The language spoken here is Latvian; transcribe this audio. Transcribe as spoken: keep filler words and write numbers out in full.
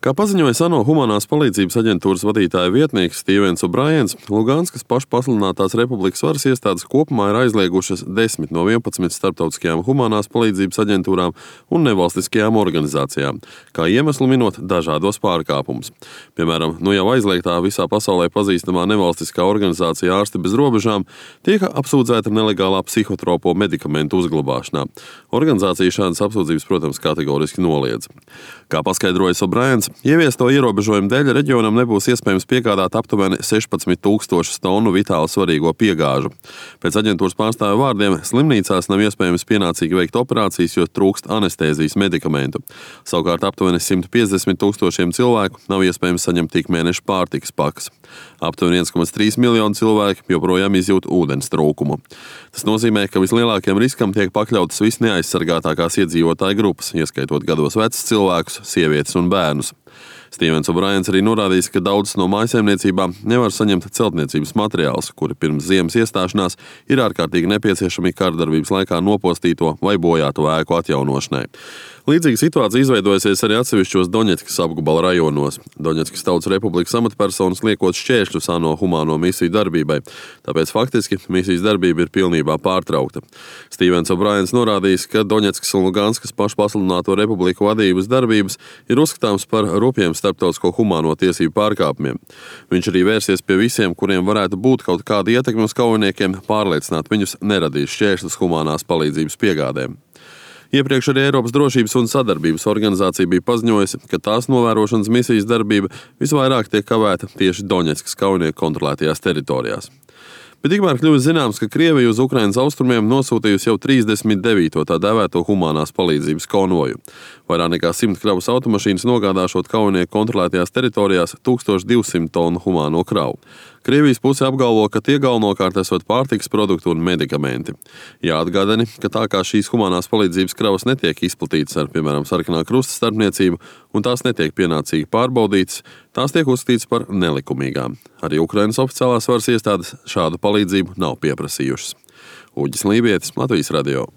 Kā paziņoja ANO humanās palīdzības aģentūras vadītāja vietnieks Stīvens O'Briens, Luganskas pašpasludinātās republikas varas iestādes kopumā ir aizliegušas desmit no vienpadsmit starptautiskajām humanās palīdzības aģentūrām un nevalstiskajām organizācijām, kā iemeslu minot dažādos pārkāpumus. Piemēram, nu jau aizliegtā visā pasaulē pazīstamā nevalstiskā organizācija Ārsti bez robežām tiek apsūdzēta nelegālā psihotropo medikamentu uzglabāšanā. Organizācija šādas apsūdzības, protams, kategoriski noliedz. Kā paskaidroja O'Briens, ieviesto ierobežojumu dēļ reģionam nebūs iespējams piegādāt aptuveni sešpadsmit tūkstošus tonu vitāli svarīgo piegāžu. Pēc aģentūras pārstāvja vārdiem, slimnīcās nav iespējams pienācīgi veikt operācijas, jo trūkst anestēzijas medikamentu. Savukārt aptuveni simt piecdesmit tūkstošiem cilvēku nav iespējams saņemt tik mēneša pārtikas pakas. Aptuveni viens komats trīs miljonu cilvēku joprojām izjūt ūdens trūkumu. Tas nozīmē, ka vislielākajam riskam tiek pakļautas visneaizsargātākās iedzīvotāju grupas, ieskaitot gados vecus cilvēkus, sievietes un bērnus. Stīvens O'Briens arī norādījis, ka daudzas no mājsaimniecībām nevar saņemt celtniecības materiālus, kuri pirms ziemas iestāšanās ir ārkārtīgi nepieciešami kārdarbības laikā nopostīto vai bojāto ēku atjaunošanai. Līdzīga situācija izveidojusies arī atsevišķos Doņetskas apgabala rajonos. Doņetskas Tautas Republikas amatpersonas liekot šķēršļus ANO humāno misiju darbībai, tāpēc faktiski misijas darbība ir pilnībā pārtraukta. Stīvens O'Briens norādījis, ka Doņetskas un Luganskas pašpasludināto republiku vadības darbības ir uzskatāms par rupjiem starptautisko humāno tiesību pārkāpumiem. Viņš arī vērsies pie visiem, kuriem varētu būt kaut kāda ietekme uz kaujiniekiem, pārliecināt viņus neradīt šķēršļus humānās palīdzības piegādēm. Iepriekš arī Eiropas drošības un sadarbības organizācija bija paziņojusi, ka tās novērošanas misijas darbība visvairāk tiek kavēta tieši Doņetskas kaujinieku kontrolētajās teritorijās. Bet tikmēr kļuvis zināms, ka Krievija uz Ukrainas austrumiem nosūtījusi jau trīsdesmit devīto tā dēvēto humanās palīdzības konvoju. Vairāk nekā simt kravas automašīnas nogādāšot kaujinieku kontrolētajās teritorijās tūkstoš divsimt tonu humāno kravu. Krievijas puse apgalvo, ka tie galvenokārt esot pārtikas produkti un medikamenti. Jāatgādina, ka tā kā šīs humanās palīdzības kravas netiek izplatītas ar, piemēram, Sarkanā krusta starpniecību un tās netiek pienācīgi pārbaudītas, tās tiek uzskatītas par nelikumīgām. Arī Ukrainas oficiālās varas iestādes šādu palīdzību nav pieprasījušas. Uģis Lībietis, Latvijas radio.